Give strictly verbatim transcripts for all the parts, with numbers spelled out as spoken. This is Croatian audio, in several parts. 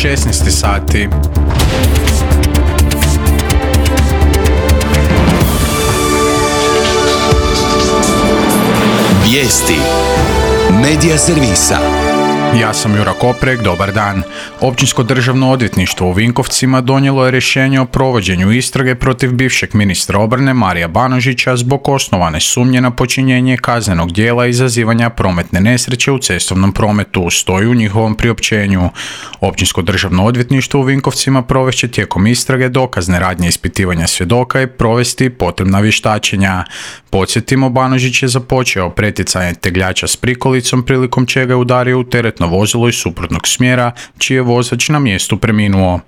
šesnaest sati. Vijesti Medija servisa. Ja sam Jura Koprek, dobar dan. Općinsko državno odvjetništvo u Vinkovcima donijelo je rješenje o provođenju istrage protiv bivšeg ministra obrane Marija Banožića zbog osnovane sumnje na počinjenje kaznenog djela izazivanja prometne nesreće u cestovnom prometu, stoji u njihovom priopćenju. Općinsko državno odvjetništvo u Vinkovcima provešće tijekom istrage dokazne radnje ispitivanja svjedoka i provesti potrebna vještačenja. Podsjetimo, Banožić je započeo pretjecanje tegljača s prikolicom prilikom čega je udario u teretno vozilo iz suprotnog smjera, čiji je vozač na mjestu preminuo.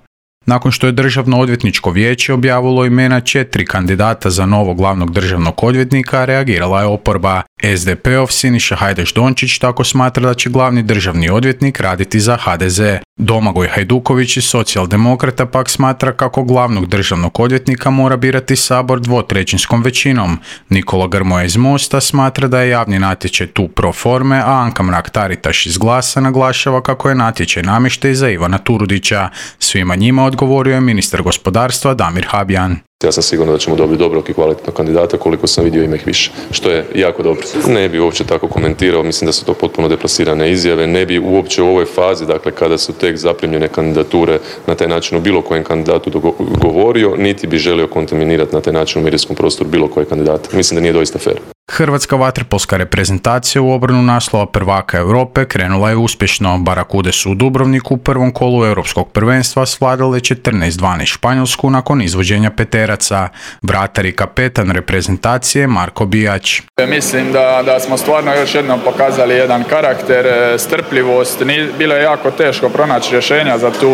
Nakon što je Državno odvjetničko vijeće objavilo imena četiri kandidata za novog glavnog državnog odvjetnika, reagirala je oporba. es de pe ov Siniša Hajdaš Dončić tako smatra da će glavni državni odvjetnik raditi za ha de ze. Domagoj Hajduković iz Socijaldemokrata pak smatra kako glavnog državnog odvjetnika mora birati Sabor dvotrećinskom većinom. Nikola Grmoja iz Mosta smatra da je javni natječaj tu pro forme, a Anka Mrak-Taritaš iz Glasa naglašava kako je natječaj namještaj za Ivana Turudića. Svima njima odgovorio je ministar gospodarstva Damir Habijan. Ja sam siguran da ćemo dobiti dobrog i kvalitetnog kandidata, koliko sam vidio ima ih više, što je jako dobro. Ne bi uopće tako komentirao, mislim da su to potpuno deplasirane izjave, ne bi uopće u ovoj fazi, dakle kada su tek zaprimljene kandidature na taj način o bilo kojem kandidatu govorio, niti bi želio kontaminirati na taj način u medijskom prostoru bilo koje kandidata. Mislim da nije doista fer. Hrvatska vaterpolska reprezentacija u obranu naslova prvaka Europe krenula je uspješno. Barakude su u Dubrovniku u prvom kolu europskog prvenstva svladale četrnaest dvanaest Španjolsku nakon izvođenja peteraca. Vratar i kapetan reprezentacije Marko Bijač. Mislim da, da smo stvarno još jednom pokazali jedan karakter, strpljivost. Bilo je jako teško pronaći rješenja za tu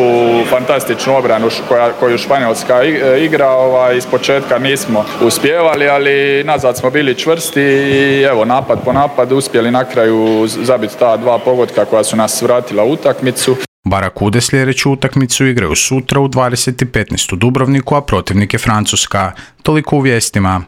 fantastičnu obranu koja, koju Španjolska igra. Ovaj, iz početka nismo uspjevali, ali nazad smo bili čvrsti i evo napad po napad uspjeli na kraju zabiti ta dva pogotka koja su nas vratila u utakmicu. Barakude sljedeću utakmicu igraju sutra u dvadeset i petnaest u Dubrovniku, a protivnik je Francuska. Toliko u vijestima.